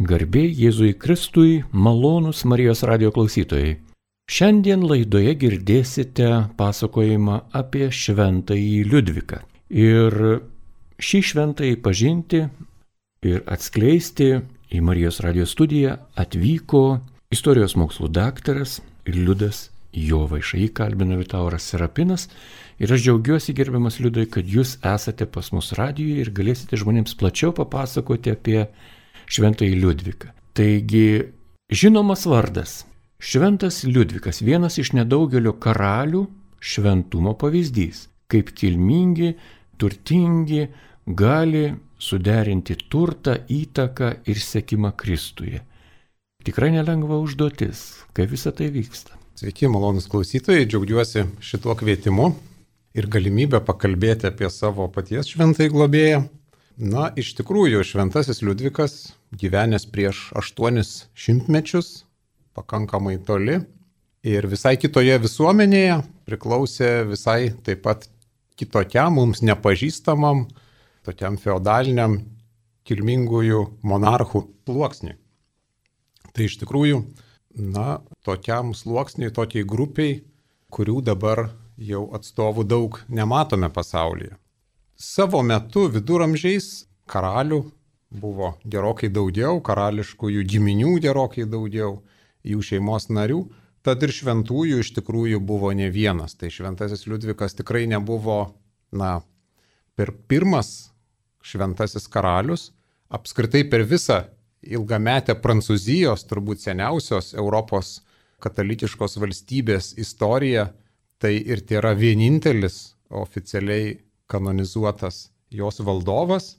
Garbė Jėzui Kristui, malonūs Marijos radijo klausytojai. Šiandien laidoje girdėsite pasakojimą apie šventąjį Liudviką. Ir šį šventąjį pažinti ir atskleisti į Marijos radijo studiją atvyko istorijos mokslų daktaras Liudas Jovaiša. Jį kalbina Liutauras Serapinas. Ir aš džiaugiuosi, gerbiamas Liudai, kad jūs esate pas mus radijoje ir galėsite žmonėms plačiau papasakoti apie šventąjį Liudviką. Taigi, žinomas vardas. Šventas Liudvikas, vienas iš nedaugelio karalių šventumo pavyzdys. Kaip kilmingi, turtingi gali suderinti turtą, įtaką ir sekimą Kristuje. Tikrai nelengva užduotis, kaip visa tai vyksta. Sveiki, malonus klausytojai, džiaugiuosi šituo kvietimu ir galimybę pakalbėti apie savo paties šventąjį globėją. Na, iš tikrųjų, šventasis Liudvikas gyvenęs prieš 800 mečius, pakankamai toli ir visai kitoje visuomenėje, priklausė visai taip pat kitokiam, mums nepažįstamam, tokiam feodaliniam kilmingųjų monarchų sluoksniui. Tai iš tikrųjų, tokiam sluoksniui, tokiai grupiai, kurių dabar jau atstovų daug nematome pasaulyje. Savo metu viduramžiais karalių buvo gerokai daugiau, karališkųjų giminių gerokai daugiau, jų šeimos narių, tad ir šventųjų iš tikrųjų buvo ne vienas. Tai šventasis Liudvikas tikrai nebuvo, per pirmas šventasis karalius, apskritai per visą ilgametę Prancūzijos, turbūt seniausios Europos katalikiškos valstybės istoriją, tai ir tai yra vienintelis oficialiai kanonizuotas jos valdovas,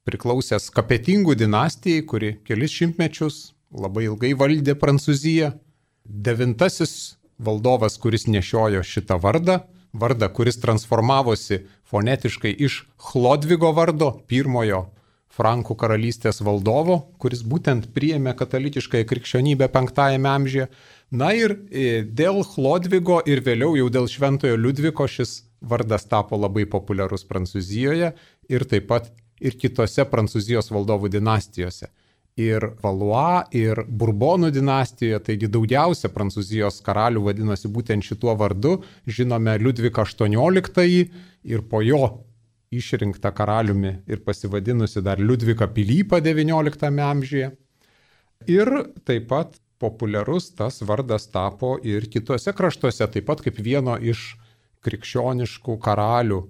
priklausęs Kapetingų dinastijai, kuri kelis šimtmečius labai ilgai valdė Prancūziją. 9. valdovas, kuris nešiojo šitą vardą, kuris transformavosi fonetiškai iš Chlodvigo vardo, pirmojo Frankų karalystės valdovo, kuris būtent priėmė katalikiškąją krikščionybę 5 amžiuje. Na ir dėl Chlodvigo ir vėliau jau dėl šventojo Liudviko šis vardas tapo labai populiarus Prancūzijoje ir taip pat ir kitose Prancūzijos valdovų dinastijose. Ir Valois, ir Burbonų dinastijoje, taigi daugiausia Prancūzijos karalių vadinosi būtent šituo vardu. Žinome Liudviką XVIII ir po jo išrinktą karaliumi ir pasivadinusi dar Liudviką Pilypą XIX amžiuje. Ir taip pat populiarus tas vardas tapo ir kitose kraštuose, taip pat kaip vieno iš krikščioniškų karalių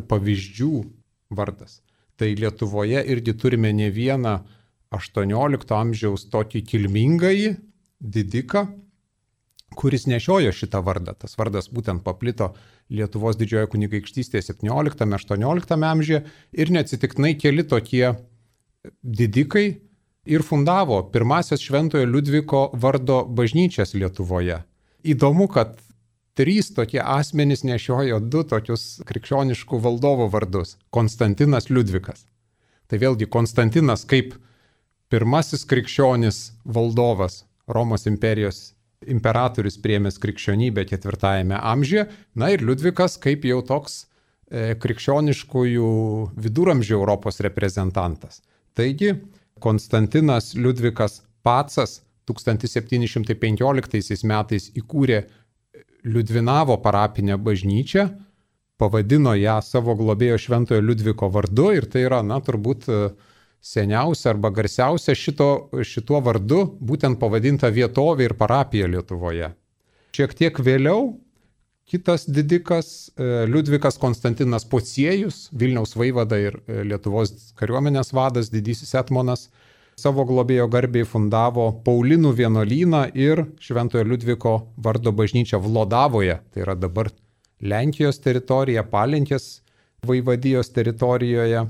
pavyzdžių vardas. Tai Lietuvoje irgi turime ne vieną 18 amžiaus tokį kilmingąjį didiką, kuris nešiojo šitą vardą. Tas vardas būtent paplito Lietuvos didžiojo kunigaikštystėje 17-18 amžiuje ir neatsitiktinai keli tokie didikai ir fundavo pirmasias šventojo Liudviko vardo bažnyčias Lietuvoje. Įdomu, kad 3 tokie asmenys nešiojo 2 tokius krikščioniškų valdovo vardus – Konstantinas Liudvikas. Tai vėlgi Konstantinas kaip pirmasis krikščionis valdovas, Romos imperijos imperatorius priėmęs krikščionybę 4 amžiuje, ir Liudvikas kaip jau toks krikščioniškųjų viduramžių Europos reprezentantas. Taigi Konstantinas Liudvikas Pacas 1715 metais įkūrė Liudvinavo parapinę bažnyčią, pavadino ją savo globėjo šventojo Liudviko vardu ir tai yra, turbūt seniausia arba garsiausia šituo vardu būtent pavadinta vietovė ir parapija Lietuvoje. Šiek tiek vėliau kitas didikas Liudvikas Konstantinas Pociejus, Vilniaus vaivada ir Lietuvos kariuomenės vadas, didysis etmonas, savo globėjo garbei fundavo Paulinų vienuolyną ir šventojo Liudviko vardo bažnyčią Vlodavoje, tai yra dabar Lenkijos teritorija, Palenkės vaivadijos teritorijoje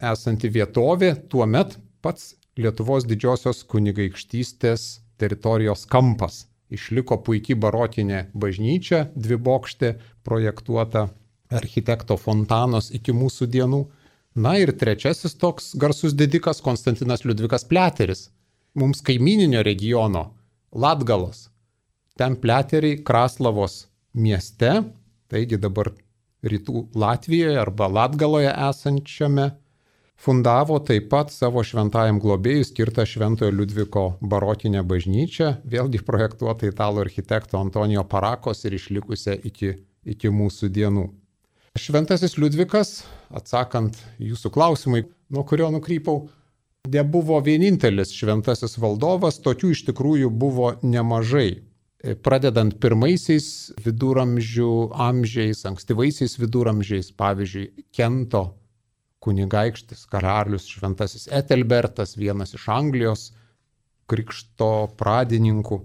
esanti vietovė, tuomet pats Lietuvos didžiosios kunigaikštystės teritorijos kampas. Išliko puikiai barokinė bažnyčia, 2-bokštė, projektuota architekto Fontanos iki mūsų dienų. Ir trečiasis toks garsus didikas Konstantinas Liudvikas Pliateris, mums kaimininio regiono Latgalos. Ten Pliateriai Kraslavos mieste, taigi dabar rytų Latvijoje arba Latgaloje esančiame fundavo taip pat savo šventajam globėjui skirtą Šventojo Liudviko barokinę bažnyčią, vėlgi projektuotą italų architekto Antonijo Parakos ir išlikusią iki mūsų dienų. Šventasis Liudvikas, atsakant jūsų klausimai, nuo kurio nukrypau, nebuvo vienintelis šventasis valdovas, tokių iš tikrųjų buvo nemažai. Pradedant pirmaisiais viduramžių amžiais, ankstyvaisiais viduramžiais, pavyzdžiui, Kento kunigaikštis, karalius šventasis Etelbertas, vienas iš Anglijos krikšto pradininkų.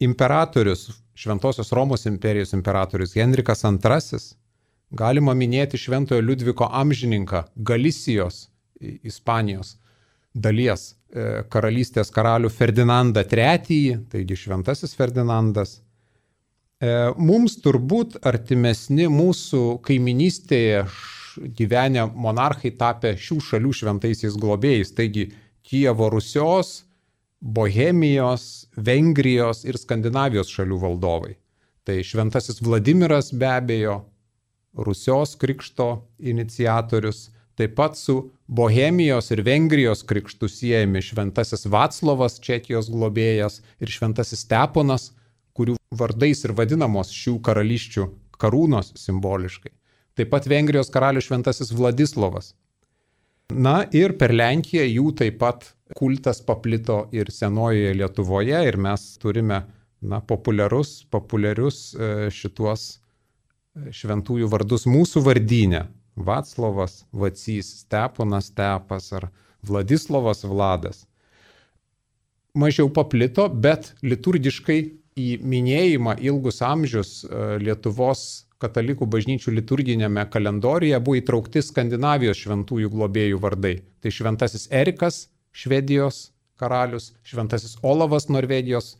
Imperatorius, Šventosios Romos imperijos imperatorius Henrikas II, galima minėti Šventojo Liudviko amžininką Galisijos, Ispanijos dalies karalystės karalių Ferdinandą III, taigi Šventasis Ferdinandas. Mums turbūt artimesni mūsų kaiminystėje gyvenę monarchai tapę šių šalių šventaisiais globėjais, taigi Kijevo Rusios, Bohemijos, Vengrijos ir Skandinavijos šalių valdovai. Tai Šventasis Vladimiras be abejo, Rusios krikšto iniciatorius, taip pat su Bohemijos ir Vengrijos krikštų siejami Šventasis Vaclovas, Čekijos globėjas, ir Šventasis Steponas, kurių vardais ir vadinamos šių karalysčių karūnos simboliškai. Taip pat Vengrijos karalius Šventasis Vladislovas. Na ir per Lenkiją jų taip pat kultas paplito ir senojoje Lietuvoje ir mes turime populiarius šituos šventųjų vardus mūsų vardyne. Vaclovas, Vacys, Steponas, Stepas ar Vladislovas, Vladas. Mažiau paplito, bet liturgiškai į minėjimą ilgus amžius Lietuvos katalikų bažnyčių liturginėme kalendoriuje buvo įtraukti Skandinavijos šventųjų globėjų vardai. Tai Šventasis Erikas, Švedijos karalius, Šventasis Olavas, Norvegijos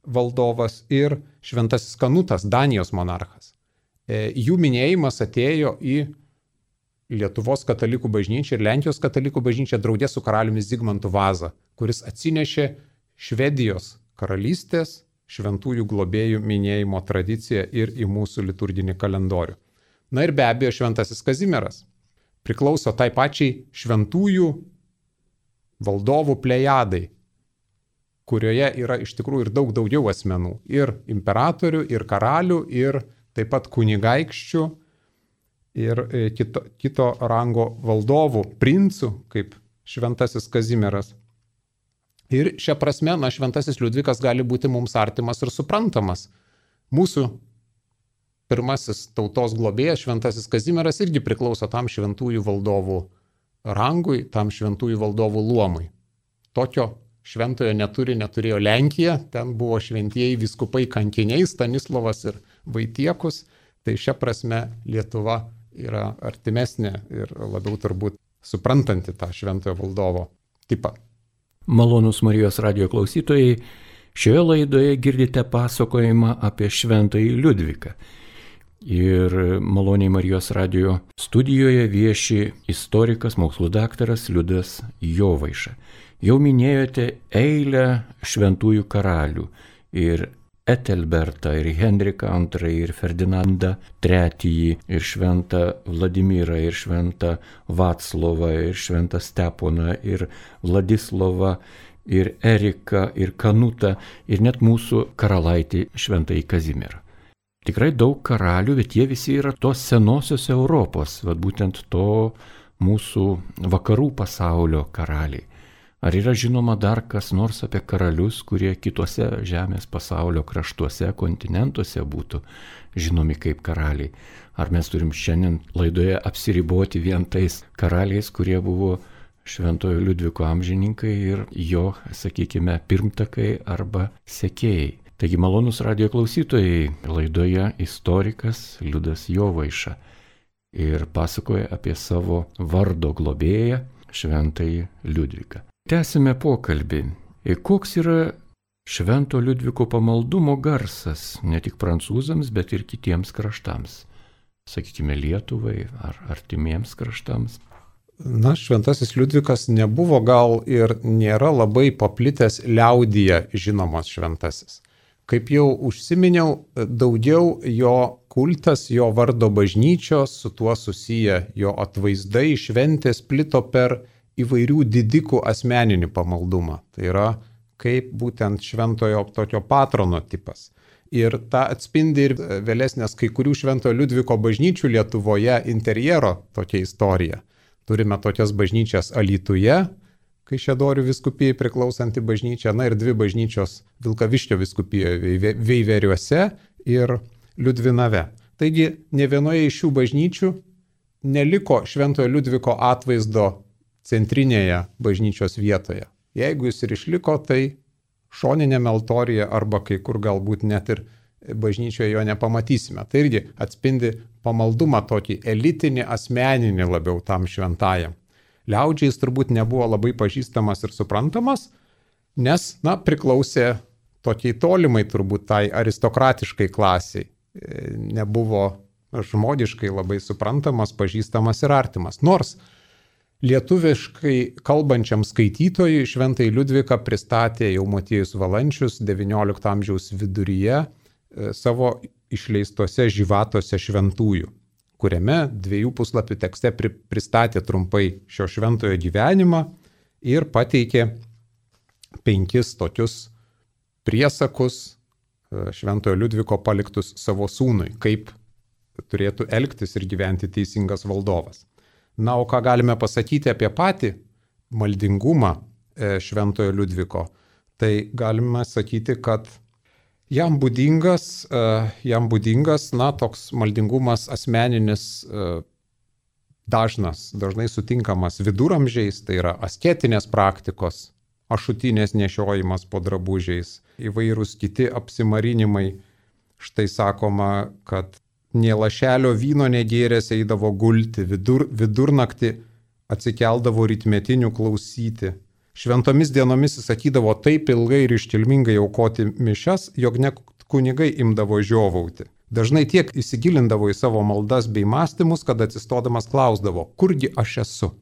valdovas ir Šventasis Kanutas, Danijos monarchas. Jų minėjimas atėjo į Lietuvos katalikų bažnyčią ir Lenkijos katalikų bažnyčią draugė su karaliumi Zigmantu Vaza, kuris atsinešė Švedijos karalystės šventųjų globėjų minėjimo tradiciją ir į mūsų liturginį kalendorių. Na ir be abejo Šventasis Kazimieras priklauso tai pačiai šventųjų valdovų plejadai, kurioje yra iš tikrųjų ir daug daugiau asmenų. Ir imperatorių, ir karalių, ir taip pat kunigaikščių, ir kito rango valdovų, princų, kaip Šventasis Kazimieras. Ir šia prasme, Šventasis Liudvikas gali būti mums artimas ir suprantamas. Mūsų pirmasis tautos globėjas, Šventasis Kazimieras, irgi priklauso tam šventųjų valdovų rangui, tam šventųjų valdovų luomui. Tokio šventojo neturėjo Lenkija, ten buvo šventieji vyskupai kankiniai, Stanislovas ir Vaitiekus, tai šia prasme Lietuva yra artimesnė ir labiau turbūt suprantanti tą šventojo valdovo tipą. Malonūs Marijos radijo klausytojai, šioje laidoje girdite pasakojimą apie Šventąjį Liudviką. Ir maloniai Marijos radijo studijoje vieši istorikas, mokslų daktaras Liudas Jovaiša. Jau minėjote eilę šventųjų karalių ir Etelbertą, ir Henriką II, ir Ferdinandą III, ir šventą Vladimirą, ir šventą Vaclovą, ir šventą Steponą, ir Vladislovą, ir Eriką, ir Kanutą, ir net mūsų karalaitį šventąjį Kazimierą. Tikrai daug karalių, bet jie visi yra tos senosios Europos, būtent to mūsų vakarų pasaulio karaliai. Ar yra žinoma dar kas nors apie karalius, kurie kitose žemės pasaulio kraštuose, kontinentuose būtų žinomi kaip karaliai? Ar mes turim šiandien laidoje apsiriboti vien tais karaliais, kurie buvo Šventojo Liudviko amžininkai ir jo, sakykime, pirmtakai arba sekėjai? Taigi malonūs radijo klausytojai, laidoje istorikas Liudas Jovaiša ir pasakoja apie savo vardo globėją Šventąjį Liudviką. Tęsime pokalbį. Koks yra Švento Liudviko pamaldumo garsas ne tik prancūzams, bet ir kitiems kraštams? Sakykime, Lietuvai ar artimiems kraštams? Šventasis Liudvikas nebuvo gal ir nėra labai paplitęs liaudyje žinomas šventasis. Kaip jau užsiminiau, daugiau jo kultas, jo vardo bažnyčios, su tuo susiję jo atvaizdai, šventės plito per įvairių didikų asmeninį pamaldumą. Tai yra kaip būtent šventojo tokio patrono tipas. Ir tą atspindi ir vėlesnės kai kurių Šventojo Liudviko bažnyčių Lietuvoje interjero tokia istorija. Turime tokias bažnyčias Alytuje, Kaišiadorių vyskupijai priklausanti bažnyčia, ir 2 bažnyčios Vilkaviškio vyskupijoje Veiveriuose ir Liudvinave. Taigi, ne vienoje iš šių bažnyčių neliko Šventojo Liudviko atvaizdo centrinėje bažnyčios vietoje. Jeigu jis ir išliko, tai šoninėme altorijoje arba kai kur galbūt net ir bažnyčioje jo nepamatysime. Tai irgi atspindi pamaldumą tokį elitinį, asmeninį labiau tam šventajam. Liaudžiai jis turbūt nebuvo labai pažįstamas ir suprantamas, nes, priklausė tokiai tolimai turbūt tai aristokratiškai klasiai. Nebuvo žmogiškai labai suprantamas, pažįstamas ir artimas. Nors lietuviškai kalbančiam skaitytojui Šventąjį Liudviką pristatė jau Motiejus Valančius XIX amžiaus viduryje savo išleistose Živatose šventųjų, kuriame 2 puslapių tekste pristatė trumpai šio šventojo gyvenimą ir pateikė 5 tokius priesakus Šventojo Liudviko paliktus savo sūnui, kaip turėtų elgtis ir gyventi teisingas valdovas. O ką galime pasakyti apie patį maldingumą Šventojo Liudviko, tai galime sakyti, kad jam būdingas toks maldingumas asmeninis, dažnai sutinkamas viduramžiais, tai yra asketinės praktikos, ašutinės nešiojimas po drabužiais, įvairūs kiti apsimarinimai. Štai sakoma, kad nė lašelio vyno negėręs eidavo gulti, vidurnaktį atsikeldavo rytmetinių klausyti. Šventomis dienomis jis sakydavo taip ilgai ir iškilmingai aukoti mišias, jog net kunigai imdavo žiovauti. Dažnai tiek įsigilindavo į savo maldas bei mąstymus, kad atsistodamas klausdavo, kurgi aš esu.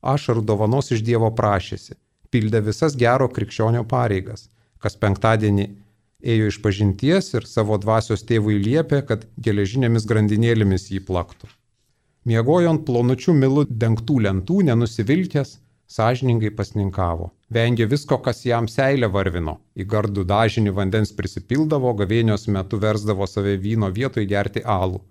Ašarų dovanos iš Dievo prašėsi, pildė visas gero krikščionio pareigas, kas penktadienį ėjo iš pažinties ir savo dvasios tėvui liepė, kad geležinėmis grandinėlėmis jį plaktų. Miegojo ant plonučių milų dengtų lentų, nenusivilkęs, sąžiningai pasninkavo. Vengė visko, kas jam seilę varvino. Į gardų dažinį vandens prisipildavo, gavėnios metu versdavo save vyno vietoj gerti alų.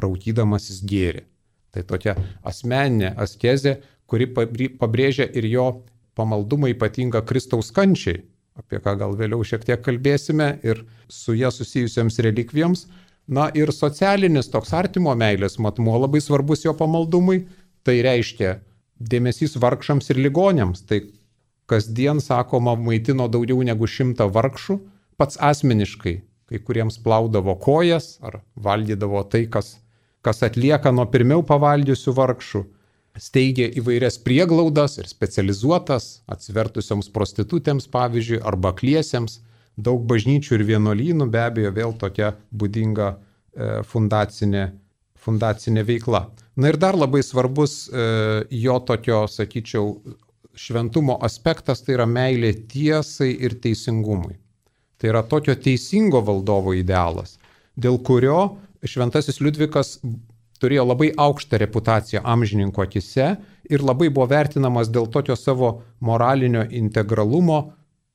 Raukydamasis gėrė. Tai tokia asmeninė askezė, kuri pabrėžia ir jo pamaldumą ypatingą Kristaus kančiai, apie ką gal vėliau šiek tiek kalbėsime, ir su ją susijusiams relikvijoms. Ir socialinis toks artimo meilės matmuo labai svarbus jo pamaldumui, tai reiškia dėmesys vargšams ir ligoniams. Tai kasdien, sakoma, maitino daugiau negu 100 vargšų, pats asmeniškai, kai kuriems plaudavo kojas ar valgydavo tai, kas atlieka nuo pirmiau pavalgiusių vargšų. Steigė įvairias prieglaudas ir specializuotas, atsivertusioms prostitutėms, pavyzdžiui, arba akliesiems, daug bažnyčių ir vienuolynų, be abejo, vėl tokia būdinga fundacinė veikla. Ir dar labai svarbus jo tokio, sakyčiau, šventumo aspektas, tai yra meilė tiesai ir teisingumui. Tai yra tokio teisingo valdovo idealas, dėl kurio Šventasis Liudvikas turėjo labai aukštą reputaciją amžininko akise ir labai buvo vertinamas dėl tokio savo moralinio integralumo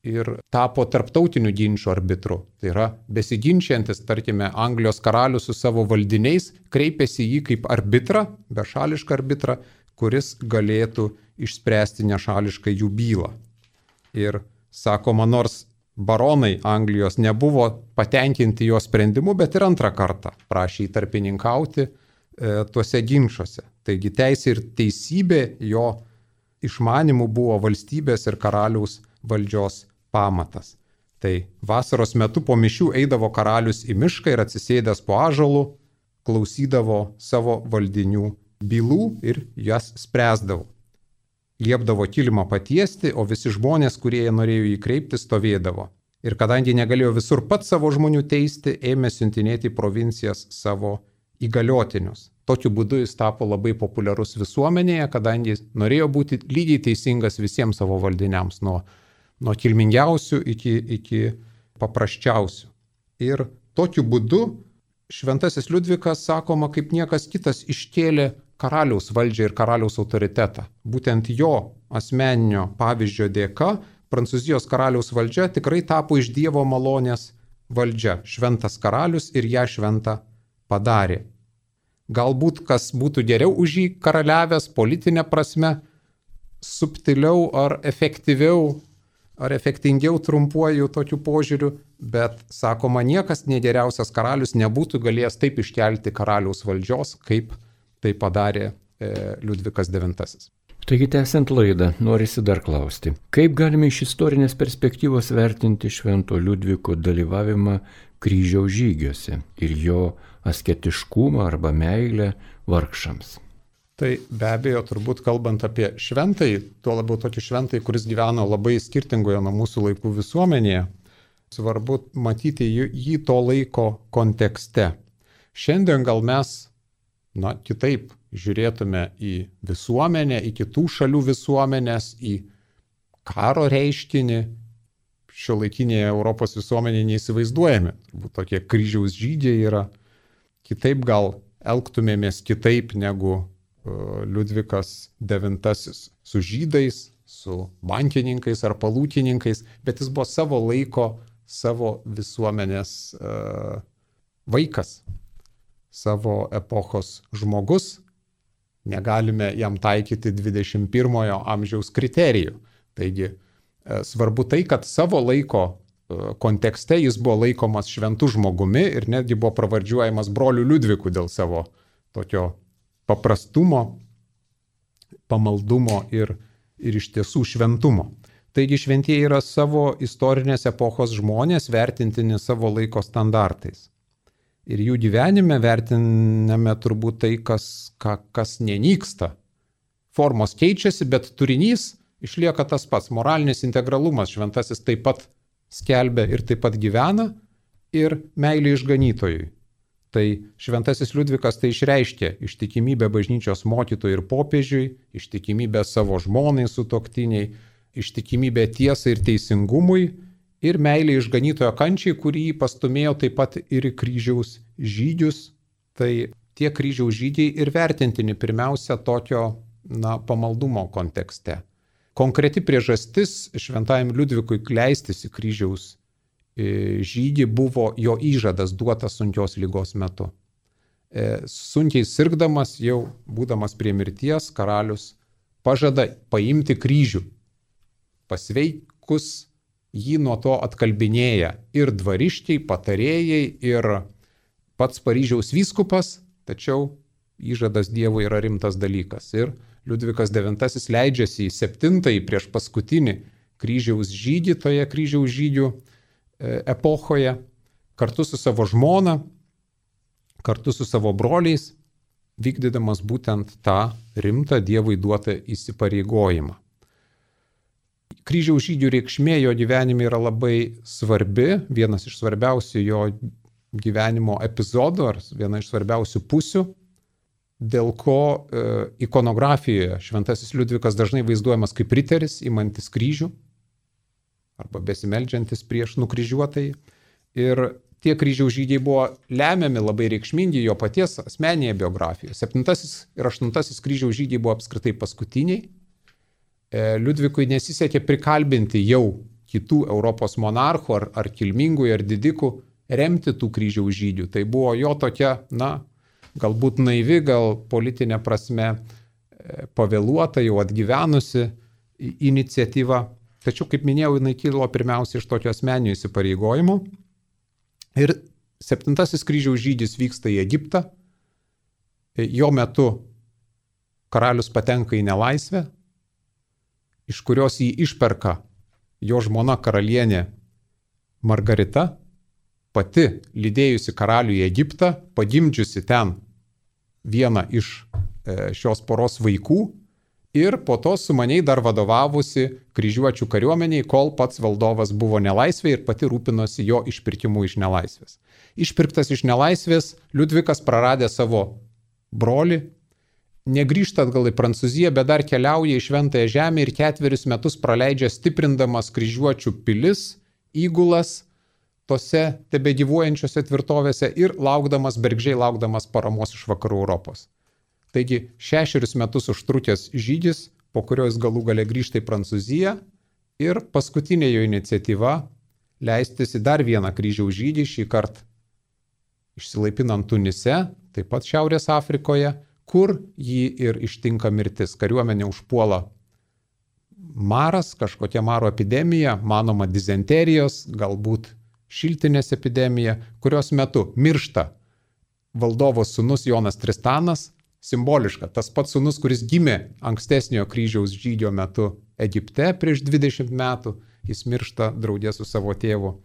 ir tapo tarptautinių ginčių arbitru. Tai yra besiginčiantis, tarkime, Anglijos karalius su savo valdiniais kreipėsi jį kaip arbitrą, bešališką arbitrą, kuris galėtų išspręsti nešališkai jų bylą. Ir sakoma, nors baronai Anglijos nebuvo patenkinti jo sprendimu, bet ir antrą kartą prašė įtarpininkauti tuose ginčiuose. Taigi teisė ir teisybė jo išmanimų buvo valstybės ir karaliaus valdžios pamatas. Tai vasaros metu po mišių eidavo karalius į mišką ir atsisėdęs po ąžuolu klausydavo savo valdinių bylų ir jas spręsdavo. Liepdavo kilimą patiesti, o visi žmonės, kurie norėjo jį kreipti, stovėdavo. Ir kadangi negalėjo visur pats savo žmonių teisti, ėmė siuntinėti į provincijas savo įgaliotinius. Tokiu būdu jis tapo labai populiarus visuomenėje, kadangi norėjo būti lygiai teisingas visiems savo valdiniams, nuo kilmingiausių iki paprasčiausių. Ir tokiu būdu Šventasis Liudvikas, sakoma, kaip niekas kitas iškėlė karaliaus valdžią ir karaliaus autoritetą. Būtent jo asmeninio pavyzdžio dėka Prancūzijos karaliaus valdžia tikrai tapo iš Dievo malonės valdžia. Šventas karalius ir ją šventą padarė. Galbūt kas būtų geriau už jį karaliavęs politinė prasme, subtiliau ar efektyviau, ar efektingiau trumpuoju tokiu požiūriu, bet, sakoma, niekas negeriausias karalius nebūtų galėjęs taip iškelti karaliaus valdžios, kaip tai padarė Liudvikas IX. Taigi, tęsiant laidą, norisi dar klausti, kaip galime iš istorinės perspektyvos vertinti Švento Liudviko dalyvavimą kryžiaus žygiuose ir jo asketiškumą arba meilę vargšams? Tai be abejo, turbūt kalbant apie šventąjį, tuo labiau tokį šventąjį, kuris gyveno labai skirtingoje nuo mūsų laikų visuomenėje, svarbu matyti jį to laiko kontekste. Šiandien gal mes, kitaip žiūrėtume į visuomenę, į kitų šalių visuomenės, į karo reiškinį, šiuolaikinėje Europos visuomenėje neįsivaizduojame. Turbūt tokie kryžiaus žygiai yra. Kitaip gal elgtumėmės kitaip negu Liudvikas IX su žydais, su bankininkais ar palūkininkais, bet jis buvo savo laiko, savo visuomenės vaikas, savo epochos žmogus. Negalime jam taikyti 21 amžiaus kriterijų. Taigi svarbu tai, kad savo laiko kontekste jis buvo laikomas šventu žmogumi ir netgi buvo pravardžiuojamas broliu Liudviku dėl savo tokio paprastumo, pamaldumo ir iš tiesų šventumo. Taigi šventieji yra savo istorinės epochos žmonės, vertintini savo laiko standartais. Ir jų gyvenime vertiname turbūt tai, kas nenyksta. Formos keičiasi, bet turinys išlieka tas pats. Moralinis integralumas šventasis taip pat skelbia ir taip pat gyvena, ir meilė išganytojui. Tai šventasis Liudvikas tai išreiškė ištikimybę bažnyčios mokytojui ir popiežiui, ištikimybę savo žmonai sutuoktiniai, ištikimybę tiesai ir teisingumui ir meilė išganytojo kančiai, kurį pastumėjo taip pat ir į kryžiaus žygius. Tai tie kryžiaus žygiai ir vertintini pirmiausia tokio pamaldumo kontekste. Konkreti priežastis šventajam Liudvikui leistis į kryžiaus žygį buvo jo įžadas duotas sunkios ligos metu. Sunkiai sirgdamas, jau būdamas prie mirties, karalius pažada paimti kryžių. Pasveikus jį nuo to atkalbinėja ir dvariškiai, patarėjai, ir pats Paryžiaus vyskupas, tačiau įžadas Dievui yra rimtas dalykas. Ir Liudvikas IX leidžiasi į 7-ąjį prieš paskutinį kryžiaus žygį toje kryžiaus žygių epochoje, kartu su savo žmona, kartu su savo broliais, vykdydamas būtent tą rimtą Dievui duotą įsipareigojimą. Kryžiaus žygių reikšmė jo gyvenime yra labai svarbi, vienas iš svarbiausių jo gyvenimo epizodų, ar viena iš svarbiausių pusių, dėl ko ikonografijoje šventasis Liudvikas dažnai vaizduojamas kaip riteris, imantis kryžių, arba besimeldžiantis prieš nukryžiuotąjį. Ir tie kryžiaus žygiai buvo lemiami, labai reikšmingi jo paties asmeninėje biografijoje. 7 ir 8 kryžiaus žygiai buvo apskritai paskutiniai. Liudvikui nesisekė prikalbinti jau kitų Europos monarchų ar kilmingųjų ar didikų remti tų kryžiaus žygių. Tai buvo jo tokia, galbūt naivi, gal politinė prasme pavėluota, jau atgyvenusi iniciatyva. Tačiau, kaip minėjau, jinai kilo pirmiausia iš tokio asmeninio įsipareigojimo. Ir 7 kryžiaus žygis vyksta į Egiptą. Jo metu karalius patenka į nelaisvę, iš kurios jį išperka jo žmona karalienė Margarita, pati lydėjusi karalių į Egiptą, pagimdžiusi ten vieną iš šios poros vaikų ir po to sumaniai dar vadovavusi kryžiuočių kariuomeniai, kol pats valdovas buvo nelaisvėje ir pati rūpinosi jo išpirkimu iš nelaisvės. Išpirktas iš nelaisvės, Liudvikas praradė savo brolį, negrįžta atgal į Prancūziją, bet dar keliauja į Šventąją Žemę ir 4 metus praleidžia stiprindamas kryžiuočių pilis, įgulas tose tebegyvuojančiose tvirtovėse ir bergždžiai laukdamas paramos iš vakarų Europos. Taigi 6 metus užtrukęs žygis, po kurio jis galų gale grįžta į Prancūziją ir paskutinė jo iniciatyva leistis į dar vieną kryžiaus žygį, šį kartą išsilaipinant Tunise, taip pat Šiaurės Afrikoje, kur jį ir ištinka mirtis. Kariuomenė užpuola maras, kažkokia maro epidemija, manoma dizenterijos, galbūt šiltinės epidemija, kurios metu miršta valdovo sūnus Jonas Tristanas, simboliška, tas pats sūnus, kuris gimė ankstesniojo kryžiaus žygio metu Egipte prieš 20 metų, jis miršta draugė su savo tėvu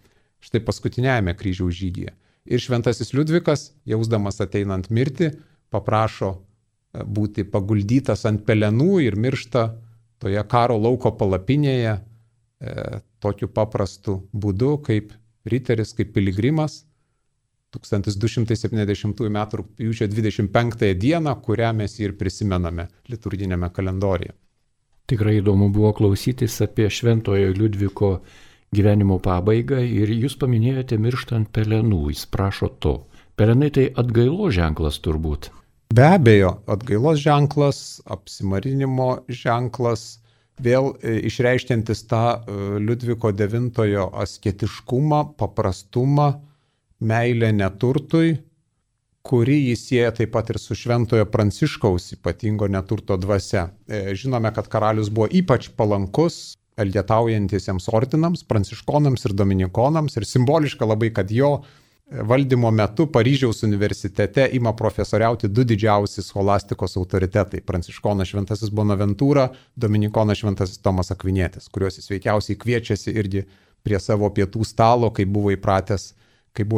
štai paskutiniajame kryžiaus žygyje. Ir šventasis Liudvikas, jausdamas ateinant mirtį, paprašo būti paguldytas ant pelenų ir miršta toje karo lauko palapinėje tokiu paprastu būdu, kaip riteris, kaip piligrimas, 1270 m. rugpjūčio 25 dieną, kurią mes ir prisimename liturginėme kalendoriuje. Tikrai įdomu buvo klausytis apie šventojo Liudviko gyvenimo pabaigą ir jūs paminėjote mirštant pelenų, jis prašo to. Pelenai tai atgailos ženklas turbūt. Be abejo, atgailos ženklas, apsimarinimo ženklas, vėl išreiškiantis tą Liudviko IX asketiškumą, paprastumą, meilę neturtui, kuri jis sieja taip pat ir su šventojo Pranciškaus ypatingo neturto dvasia. Žinome, kad karalius buvo ypač palankus elgetaujantiesiems ordinams, pranciškonams ir dominikonams, ir simboliška labai, kad jo valdymo metu Paryžiaus universitete ima profesoriauti du didžiausi scholastikos autoritetai - pranciškonas šventasis Bonaventūra, dominikonas šventasis Tomas Akvinietis, kuriuos jis veikiausiai kviečiasi irgi prie savo pietų stalo, kaip buvo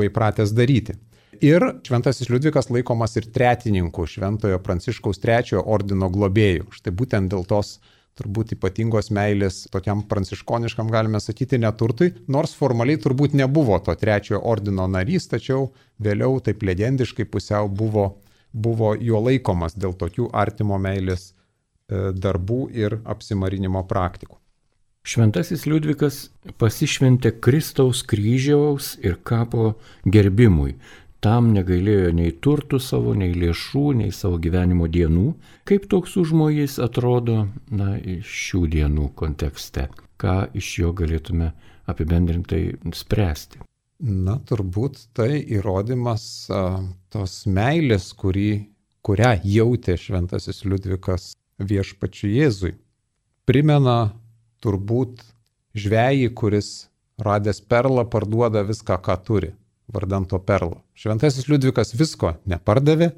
įpratęs daryti. Ir šventasis Liudvikas laikomas ir tretininku šventojo Pranciškaus III ordino globėjų. Štai būtent dėl tos turbūt ypatingos meilės tokiam pranciškoniškam, galime sakyti, neturtui, nors formaliai turbūt nebuvo to III ordino narys, tačiau vėliau taip legendiškai pusiau buvo jo laikomas dėl tokių artimo meilės darbų ir apsimarinimo praktikų. Šventasis Liudvikas pasišventė Kristaus kryžiaus ir kapo gerbimui. Tam negailėjo nei turtų savo, nei lėšų, nei savo gyvenimo dienų. Kaip toks užmojis atrodo šių dienų kontekste? Ką iš jo galėtume apibendrintai spręsti? Turbūt tai įrodymas tos meilės, kurią jautė šventasis Liudvikas viešpačiui Jėzui. Primena turbūt žvejį, kuris radęs perlą parduoda viską, ką turi, vardan to perlo. Šventasis Liudvikas visko nepardavė,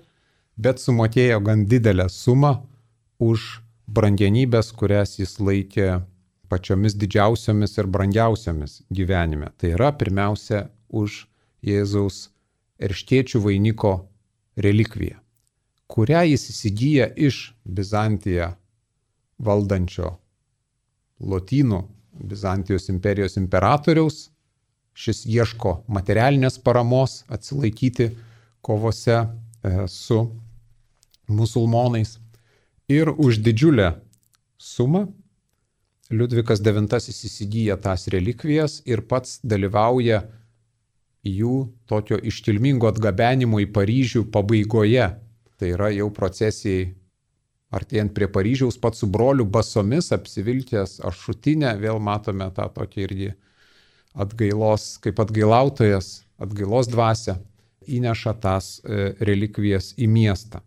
bet sumokėjo gan didelę sumą už brangenybės, kurias jis laikė pačiomis didžiausiomis ir brangiausiomis gyvenime. Tai yra pirmiausia už Jėzaus erškėčių vainiko relikviją, kurią jis įsigyja iš Bizantiją valdančio Lotynų Bizantijos imperijos imperatoriaus. Šis ieško materialinės paramos atsilaikyti kovose su musulmonais. Ir už didžiulę sumą Liudvikas IX įsigyja tas relikvijas ir pats dalyvauja jų tokio iškilmingo atgabenimo į Paryžių pabaigoje. Tai yra jau procesijai artėjant prie Paryžiaus, pats su broliu basomis apsivilkęs ašutinę, vėl matome tą tokį irgi atgailos, kaip atgailautojas, atgailos dvasia, įneša tas relikvijas į miestą.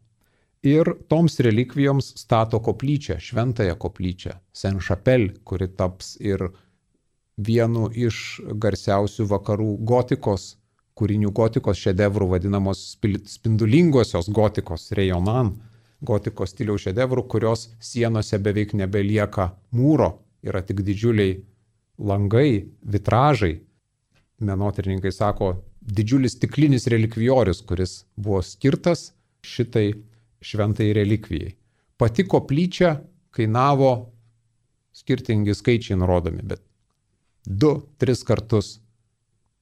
Ir toms relikvijoms stato koplyčią, šventąją koplyčią, Saint-Chapelle, kuri taps ir vienu iš garsiausių vakarų gotikos, kūrinių gotikos šedevrų, vadinamos spindulingosios gotikos, Rejonan, gotikos stiliaus šedevrų, kurios sienose beveik nebelieka mūro, yra tik didžiuliai langai, vitražai. Menotyrininkai sako, didžiulis stiklinis relikvijorius, kuris buvo skirtas šitai šventai relikvijai. Pati koplyčia kainavo, skirtingi skaičiai nurodomi, bet 2-3 kartus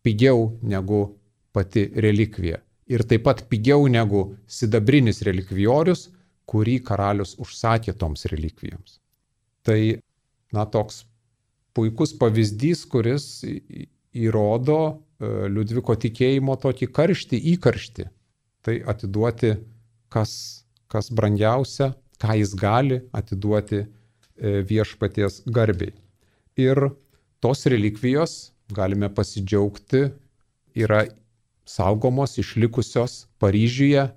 pigiau negu pati relikvija. Ir taip pat pigiau negu sidabrinis relikvijorius, kurį karalius užsakė toms relikvijoms. Tai, toks puikus pavyzdys, kuris įrodo Liudviko tikėjimo tokį įkarštį, tai atiduoti, kas kas brangiausia, ką jis gali atiduoti viešpaties garbiai. Ir tos relikvijos, galime pasidžiaugti, yra saugomos, išlikusios Paryžiuje,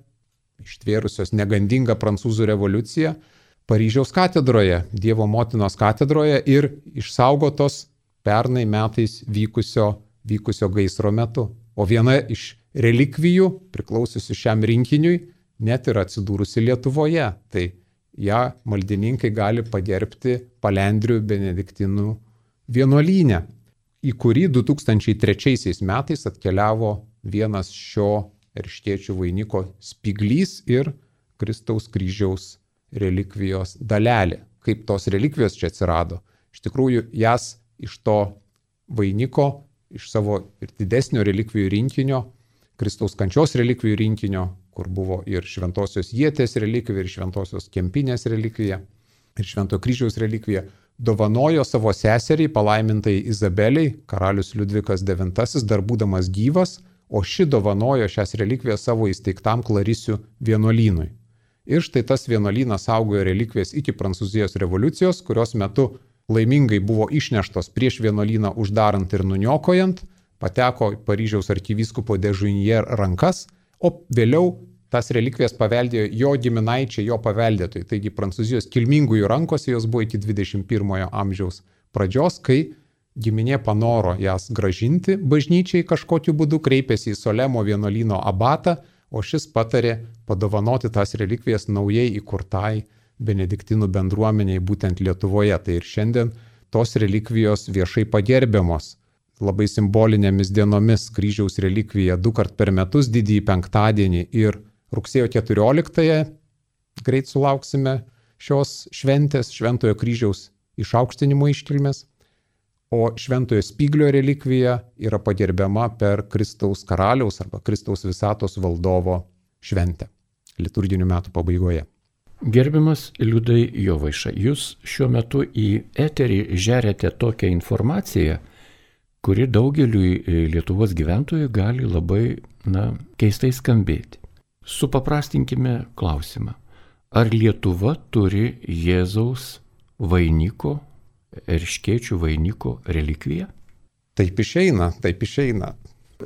ištvėrusios negandingą prancūzų revoliuciją, Paryžiaus katedroje, Dievo motinos katedroje ir išsaugotos pernai metais vykusio gaisro metu. O viena iš relikvijų, priklausiusi šiam rinkiniui, net yra atsidūrusi Lietuvoje. Tai ją maldininkai gali pagerbti Palendrių benediktinų vienuolyne, į kurį 2003 metais atkeliavo vienas šio erškėčių vainiko spyglys ir Kristaus kryžiaus relikvijos dalelė. Kaip tos relikvijos čia atsirado? Iš tikrųjų, jas iš to vainiko, iš savo ir didesnio relikvijų rinkinio, Kristaus kančios relikvijų rinkinio, kur buvo ir Šventosios Ietės relikvija, ir Šventosios Kempinės relikvija, ir Šventojo kryžiaus relikvija, dovanojo savo seseriai, palaimintai Izabeliai, karalius Liudvikas IX, dar būdamas gyvas, o ši dovanojo šias relikvijas savo įsteigtam Klarisių vienuolynui. Ir štai tas vienuolynas saugojo relikvijas iki Prancūzijos revoliucijos, kurios metu laimingai buvo išneštos prieš vienuolyną uždarant ir nuniokojant, pateko Paryžiaus arkivyskupo de Junier rankas, o vėliau tas relikvijas paveldėjo jo giminaičiai, jo paveldėtojai. Taigi Prancūzijos kilmingųjų rankose jos buvo iki 21 amžiaus pradžios, kai giminė panoro jas gražinti bažnyčiai kažkokiu būdu, kreipėsi į Solemo vienuolyno abatą, o šis patarė padovanoti tas relikvijas naujai įkurtai benediktinų bendruomeniai būtent Lietuvoje. Tai ir šiandien tos relikvijos viešai pagerbiamos labai simbolinėmis dienomis. Kryžiaus relikvija 2 kart per metus, didįjį penktadienį ir rugsėjo 14-ąją greit sulauksime šios šventės, Šventojo kryžiaus išaukštinimo iškilmės. O Šventojo Spyglio relikvija yra pagerbiama per Kristaus karaliaus arba Kristaus visatos valdovo šventę liturginių metų pabaigoje. Gerbiamas Liudai Jovaiša, jūs šiuo metu į eterį žeriate tokią informaciją, kuri daugeliui Lietuvos gyventojų gali labai, keistai skambėti. Supaprastinkime klausimą. Ar Lietuva turi Jėzaus vainiko, erškėčių vainiko relikviją? Taip išeina.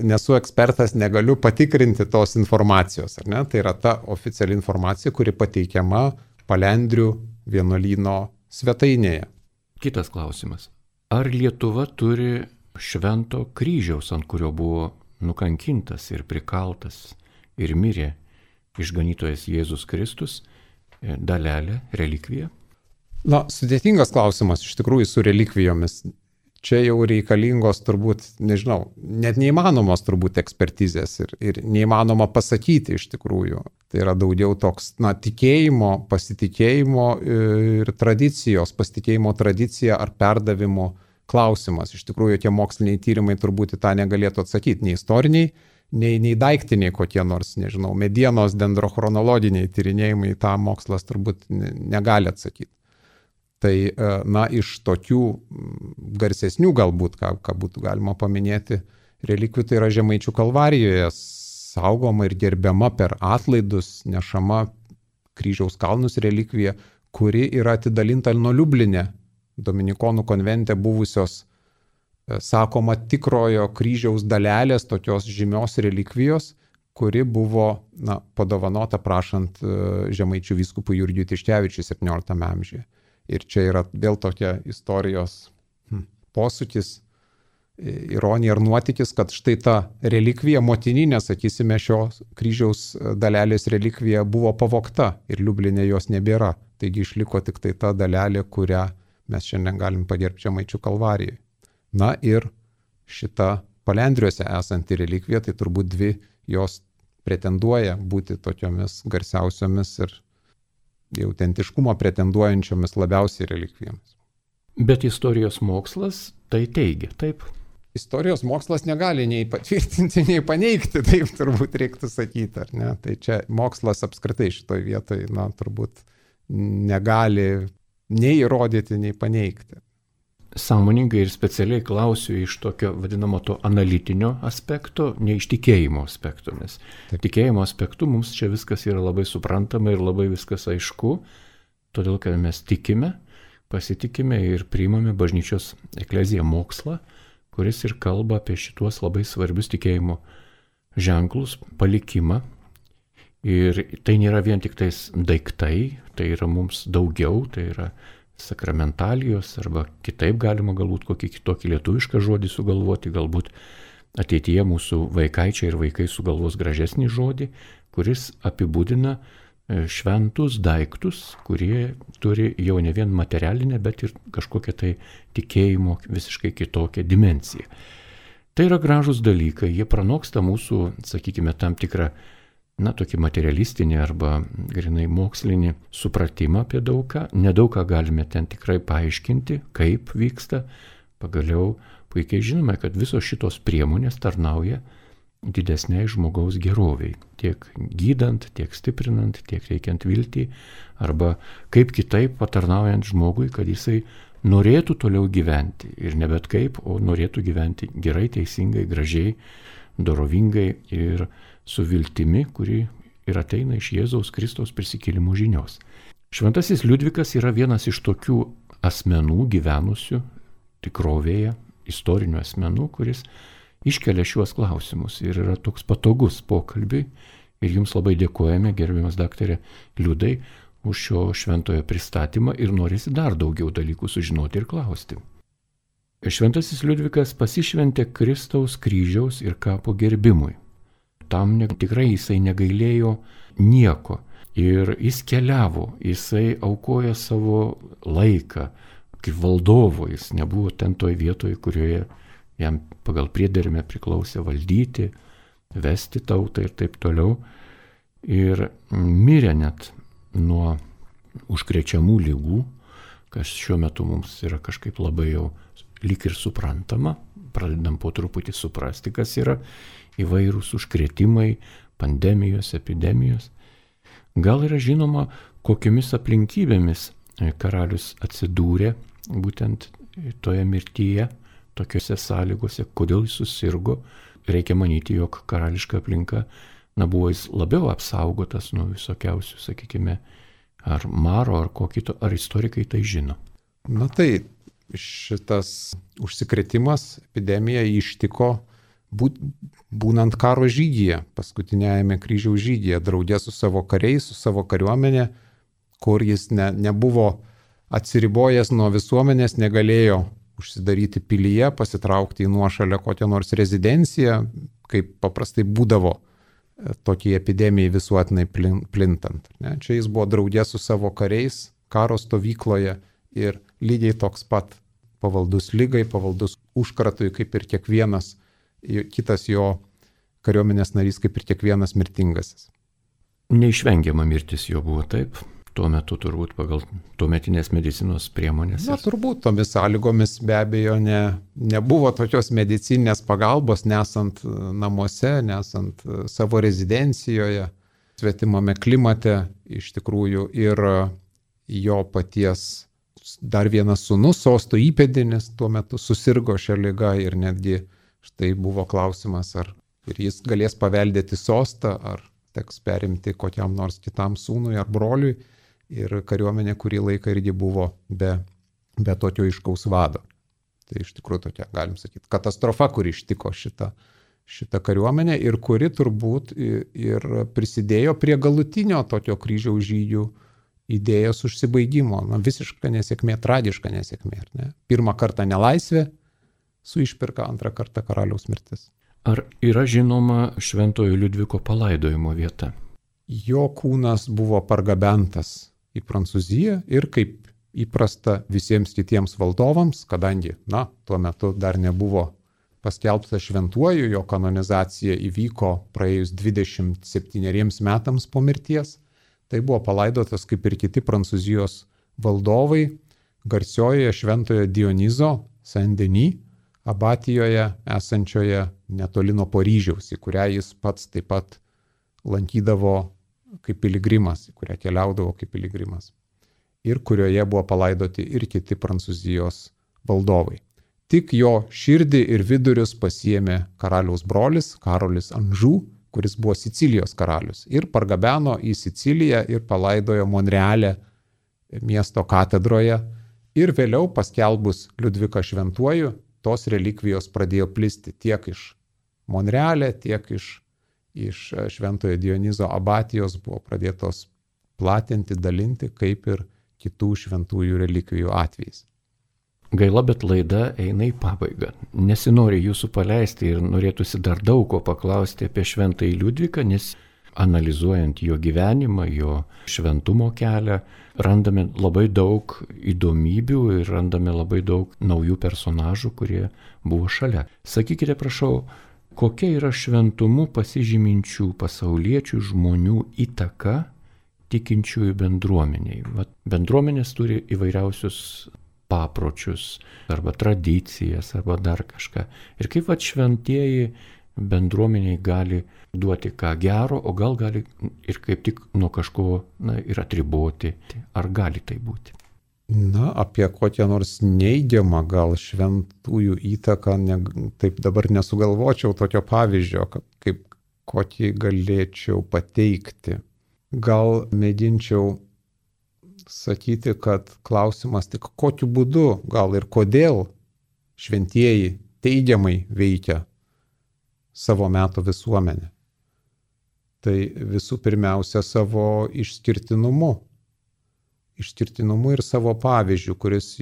Nesu ekspertas, negaliu patikrinti tos informacijos, ar ne? Tai yra ta oficiali informacija, kuri pateikiama Palendrių vienuolyno svetainėje. Kitas klausimas. Ar Lietuva turi Švento kryžiaus, ant kurio buvo nukankintas ir prikaltas ir mirė išganytojas Jėzus Kristus, dalelę, relikviją? Sudėtingas klausimas iš tikrųjų su relikvijomis. Čia jau reikalingos turbūt, nežinau, net neįmanomos turbūt ekspertizės ir neįmanoma pasakyti iš tikrųjų. Tai yra daugiau toks, tikėjimo, pasitikėjimo ir tradicijos, pasitikėjimo tradicija ar perdavimo klausimas. Iš tikrųjų, tie moksliniai tyrimai turbūt į tą negalėtų atsakyti, nei istoriniai, nei daiktiniai kokie nors, nežinau, medienos dendrochronologiniai tyrinėjimai, tą mokslas turbūt negali atsakyti. Tai, iš tokių garsesnių galbūt, ką būtų galima paminėti, relikvijų, tai yra Žemaičių Kalvarijoje saugoma ir gerbiama per atlaidus, nešama Kryžiaus kalnus relikvija, kuri yra atidalinta nuo Liubline, Dominikonų konvente buvusios, sakoma, tikrojo kryžiaus dalelės, tokios žymios relikvijos, kuri buvo padovanota prašant Žemaičių vyskupui Jurgiui Tiškevičiui 17 amžiuje. Ir čia yra vėl tokia istorijos posūkis, ironija ir nuotykis, kad štai ta relikvija, motininė, sakysime, šios kryžiaus dalelės relikvija buvo pavogta ir Liubline jos nebėra. Taigi išliko tik tai ta dalelė, kurią mes šiandien galim pagerbti Žemaičių Kalvarijoje. Ir šita Palendriuose esanti relikvija, tai turbūt dvi jos pretenduoja būti tokiomis garsiausiomis ir autentiškumo pretenduojančiomis labiausiai relikvijomis. Bet istorijos mokslas tai teigia, taip? Istorijos mokslas negali nei patvirtinti, nei paneigti, taip turbūt reiktų sakyti, ar ne? Tai čia mokslas apskritai šitoje vietoje, turbūt negali nei įrodyti, nei paneigti. sąmoningai ir specialiai klausiu iš tokio vadinamo to analitinio aspekto, ne iš tikėjimo aspekto, nes tikėjimo aspektu mums čia viskas yra labai suprantama ir labai viskas aišku, todėl kad mes tikime, pasitikime ir priimame bažnyčios ekleziją mokslą, kuris ir kalba apie šituos labai svarbius tikėjimo ženklus, palikimą. Ir tai nėra vien tik tais daiktai, tai yra mums daugiau, tai yra sakramentalijos, arba kitaip galima galbūt kokį kitokį lietuvišką žodį sugalvoti, galbūt ateityje mūsų vaikaičiai ir vaikai sugalvos gražesnį žodį, kuris apibūdina šventus daiktus, kurie turi jau ne vien materialinę, bet ir kažkokią tai tikėjimo visiškai kitokią dimensiją. Tai yra gražus dalykai, jie pranoksta mūsų, sakykime, tam tikrą tokį materialistinį arba grinai mokslinį supratimą apie daugą. Nedaugą galime ten tikrai paaiškinti, kaip vyksta. Pagaliau puikiai žinome, kad visos šitos priemonės tarnauja didesniai žmogaus geroviai. Tiek gydant, tiek stiprinant, tiek teikiant viltį, arba kaip kitaip patarnaujant žmogui, kad jisai norėtų toliau gyventi. Ir ne bet kaip, o norėtų gyventi gerai, teisingai, gražiai, dorovingai ir su viltimi, kuri ir ateina iš Jėzaus Kristaus prisikėlimų žinios. Šventasis Liudvikas yra vienas iš tokių asmenų gyvenusių tikrovėje, istorinių asmenų, kuris iškelia šiuos klausimus ir yra toks patogus pokalbiui. Ir jums labai dėkojame, gerbiamas daktarė Liudai, už šio šventojo pristatymą ir norisi dar daugiau dalykų sužinoti ir klausti. Šventasis Liudvikas pasišventė Kristaus kryžiaus ir kapo gerbimui. Tam tikrai jisai negailėjo nieko ir jis keliavo, jisai aukoja savo laiką kaip valdovo, jis nebuvo ten toj vietoje, kurioje jam pagal priedermę priklausė valdyti, vesti tautą ir taip toliau. Ir mirė net nuo užkrečiamų ligų, kas šiuo metu mums yra kažkaip labai jau lyg ir suprantama, pradedam po truputį suprasti, kas yra įvairūs užkrėtimai, pandemijos, epidemijos. Gal yra žinoma, kokiomis aplinkybėmis karalius atsidūrė būtent toje mirtyje, tokiuose sąlygose, kodėl jis susirgo. Reikia manyti, jog karališka aplinka buvo jis labiau apsaugotas nuo visokiausių, sakykime, ar maro, ar ko kito, ar istorikai tai žino. Tai šitas užsikrėtimas, epidemija ištiko būnant karo žygyje, paskutinėjame kryžiaus žygyje, draugė su savo kariais, su savo kariuomenė, kur jis nebuvo atsiribojęs nuo visuomenės, negalėjo užsidaryti pilyje, pasitraukti į nuošalę kokią nors rezidenciją, kaip paprastai būdavo tokiai epidemijai visuotinai plintant. Čia jis buvo draugė su savo kariais, karo stovykloje ir lygiai toks pat pavaldus lygai, pavaldus užkratui, kaip ir kiekvienas kitas jo kariuomenės narys, kaip ir kiekvienas mirtingasis. Neišvengiama mirtis jo buvo, taip? Tuo metu turbūt pagal tuometinės medicinos priemonės. Turbūt tomis sąlygomis be abejo nebuvo tokios medicininės pagalbos, nesant namuose, nesant savo rezidencijoje, svetimame klimate iš tikrųjų. Ir jo paties dar vienas sūnus, sosto įpėdinis, tuo metu susirgo šią ligą ir netgi štai buvo klausimas, ar ir jis galės paveldėti sostą, ar teks perimti kokiam nors kitam sūnui ar broliui. Ir kariuomenė kurį laiką irgi buvo be tokio aiškaus vado. Tai iš tikrųjų tokia, galim sakyti, katastrofa, kuri ištiko šitą kariuomenę ir kuri turbūt ir prisidėjo prie galutinio tokio kryžiaus žygių idėjos užsibaigimo. Visiška nesėkmė, tragiška nesėkmė. Ne? Pirmą kartą nelaisvė su išpirka, antrą kartą karaliaus mirtis. Ar yra žinoma šventojo Liudviko palaidojimo vieta? Jo kūnas buvo pargabentas į Prancūziją ir kaip įprasta visiems kitiems valdovams, kadangi, tuo metu dar nebuvo paskelbtas šventuoju, jo kanonizacija įvyko praėjus 27 metams po mirties, tai buvo palaidotas kaip ir kiti Prancūzijos valdovai garsiojoje šventojo Dionizo Saint-Denis abatijoje esančioje netoli nuo Paryžiaus, į kurią jis pats taip pat lankydavo kaip piligrimas, į kurią keliaudavo kaip piligrimas. Ir kurioje buvo palaidoti ir kiti Prancūzijos valdovai. Tik jo širdį ir vidurius pasiėmė karaliaus brolis Karolis Anžų, kuris buvo Sicilijos karalius, ir pargabeno į Siciliją ir palaidojo Monreale miesto katedroje. Ir vėliau paskelbus Liudviką šventuoju, tos relikvijos pradėjo plisti tiek iš Monreale, tiek iš Šventojo Dionizo abatijos buvo pradėtos platinti, dalinti, kaip ir kitų šventųjų relikvijų atvejais. Gaila, bet laida eina į pabaigą. Nesinori jūsų paleisti ir norėtųsi dar daug ko paklausti apie šventąjį Liudviką, nes analizuojant jo gyvenimą, jo šventumo kelią, randame labai daug įdomybių ir randame labai daug naujų personažų, kurie buvo šalia. Sakykite, prašau, kokia yra šventumu pasižyminčių pasauliečių žmonių įtaka tikinčiųjų bendruomeniai? Bendruomenės turi įvairiausius papročius, arba tradicijas, arba dar kažką. Ir kaip šventieji bendruomeniai gali duoti ką gero, o gal gali ir kaip tik nuo kažko ir atriboti. Ar gali tai būti? Apie kokią nors neigiamą gal šventųjų įtaką, taip dabar nesugalvočiau tokio pavyzdžio, kaip kokį galėčiau pateikti. Gal mėginčiau sakyti, kad klausimas tik kokiu būdu, gal ir kodėl šventieji teigiamai veikia savo meto visuomenę. Tai visų pirmiausia savo išskirtinumu ir savo pavyzdžių, kuris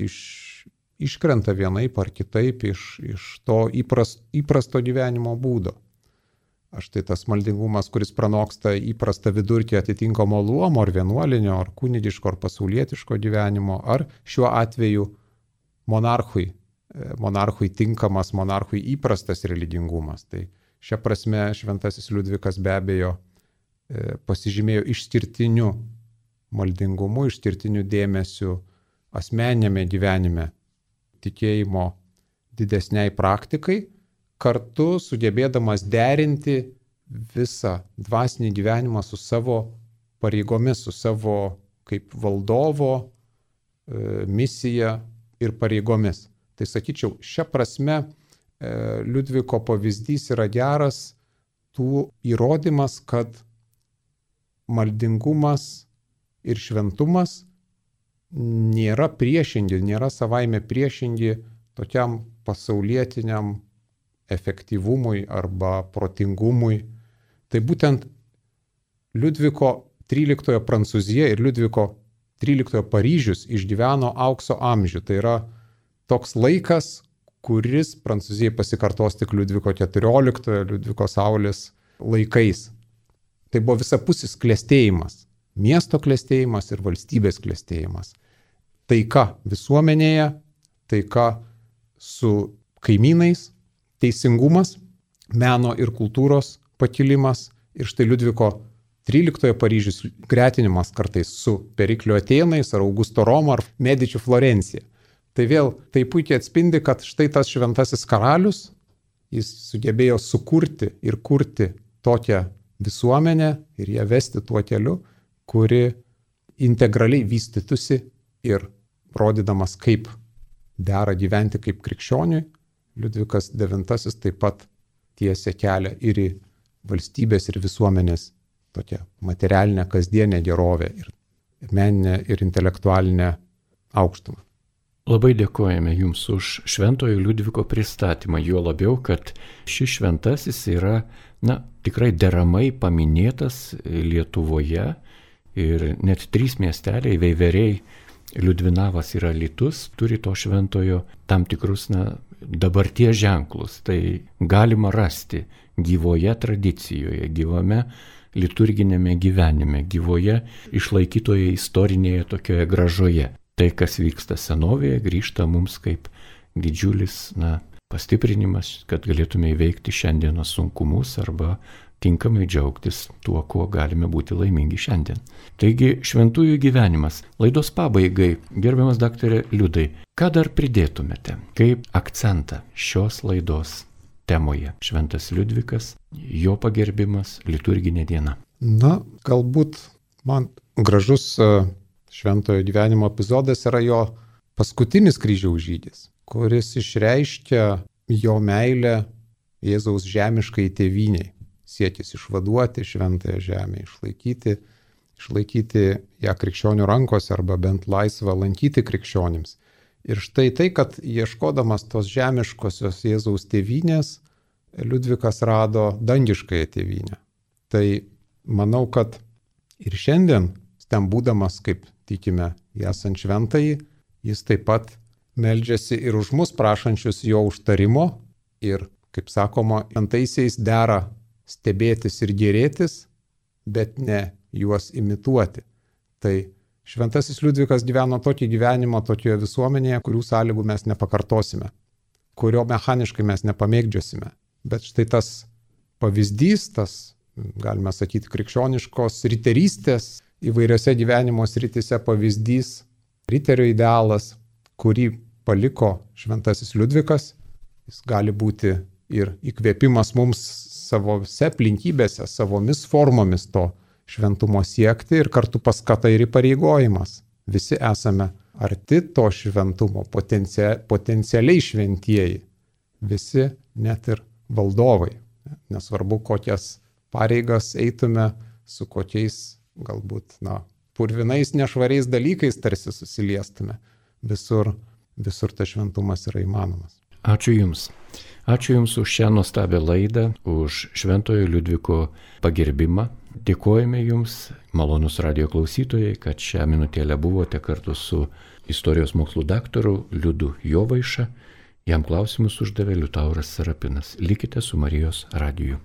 iškrenta vienaip ar kitaip iš to įprasto gyvenimo būdo. Štai tas maldingumas, kuris pranoksta įprastą vidurkį atitinkamo luomo, ar vienuolinio, ar kunigiško, ar pasaulietiško gyvenimo, ar šiuo atveju monarchui tinkamas, monarchui įprastas religingumas. Tai šia prasme šventasis Liudvikas be abejo pasižymėjo išskirtiniu maldingumu, išskirtiniu dėmesiu asmeninėme gyvenime, tikėjimo didesniai praktikai, kartu sugebėdamas derinti visą dvasinį gyvenimą su savo pareigomis, su savo kaip valdovo misija ir pareigomis. Tai sakyčiau, šia prasme Liudviko pavyzdys yra geras tų įrodymas, kad maldingumas ir šventumas nėra priešingi, nėra savaime priešingi tokiam pasaulietiniam efektyvumui arba protingumui. Tai būtent Liudviko XIII Prancūzija ir Liudviko XIII Paryžius išgyveno aukso amžių. Tai yra toks laikas, kuris Prancūzijai pasikartos tik Liudviko XIV, Liudviko Saulės laikais. Tai buvo visapusis klestėjimas, miesto klestėjimas ir valstybės klestėjimas. Taika visuomenėje, taika su kaimynais, teisingumas, meno ir kultūros pakilimas ir štai Liudviko XIII Paryžius gretinimas kartais su Periklio Atėnais ar Augusto Roma ar Medičių Florencija. Tai vėl tai puikiai atspindi, kad štai tas šventasis karalius, jis sugebėjo sukurti ir kurti tokią visuomenę ir ją vesti tuo keliu, kuri integraliai vystytųsi ir rodydamas, kaip dera gyventi kaip krikščioniui, Liudvikas IX taip pat tiesia kelią ir į valstybės ir visuomenės tokią materialinę, kasdienę gerovę ir meninę ir intelektualinę aukštumą. Labai dėkojame Jums už šventojo Liudviko pristatymą, juo labiau, kad šis šventasis yra, tikrai deramai paminėtas Lietuvoje ir net 3 miesteliai, Veiveriai, Liudvinavas ir Alytus turi to šventojo tam tikrus, dabarties ženklus. Tai galima rasti gyvoje tradicijoje, gyvame liturginėme gyvenime, gyvoje išlaikytoje istorinėje tokioje gražoje. Tai, kas vyksta senovėje, grįžta mums kaip didžiulis pastiprinimas, kad galėtume įveikti šiandienos sunkumus arba tinkamai džiaugtis tuo, kuo galime būti laimingi šiandien. Taigi, šventųjų gyvenimas. Laidos pabaigai, gerbiamas daktarė Liudai, ką dar pridėtumėte kaip akcentą šios laidos temoje? Šventas Liudvikas, jo pagerbimas, liturginė diena. Galbūt man gražus šventojo gyvenimo epizodas yra jo paskutinis kryžiaus žygis, kuris išreiškia jo meilę Jėzaus žemiškai tėvyniai. Siekis išvaduoti šventąją žemę, išlaikyti ją krikščionių rankose arba bent laisvą lankyti krikščionims. Ir štai tai, kad ieškodamas tos žemiškosios Jėzaus tėvynės, Liudvikas rado dangiškąją tėvynę. Tai manau, kad ir šiandien, ten būdamas, kaip tikime, esant šventąjį, jis taip pat meldžiasi ir už mus prašančius jo užtarimo ir, kaip sakoma, šventaisiais dera stebėtis ir gėrėtis, bet ne juos imituoti. Tai šventasis Liudvikas gyveno tokį gyvenimą tokioje visuomenėje, kurių sąlygų mes nepakartosime, kurio mechaniškai mes nepamėgdžiosime. Bet štai tas pavyzdys, tas, galime sakyti, krikščioniškos riterystės įvairiose gyvenimo srityse pavyzdys, riterio idealas, kurį paliko šventasis Liudvikas, jis gali būti ir įkvėpimas mums savose aplinkybėse, savomis formomis to šventumo siekti ir kartu paskata ir įpareigojimas. Visi esame arti to šventumo, potencialiai šventieji, visi net ir valdovai. Nesvarbu, kokias pareigas eitume, su kokiais galbūt purvinais, nešvariais dalykais tarsi susiliestume. Visur tas šventumas yra įmanomas. Ačiū Jums. Ačiū Jums už šią nuostabią laidą, už šventojo Liudviko pagerbimą. Dėkojame Jums, malonus radijo klausytojai, kad šią minutėlę buvote kartu su istorijos mokslų daktaru Liudu Jovaiša. Jam klausimus uždavė Liutauras Serapinas. Likite su Marijos radiju.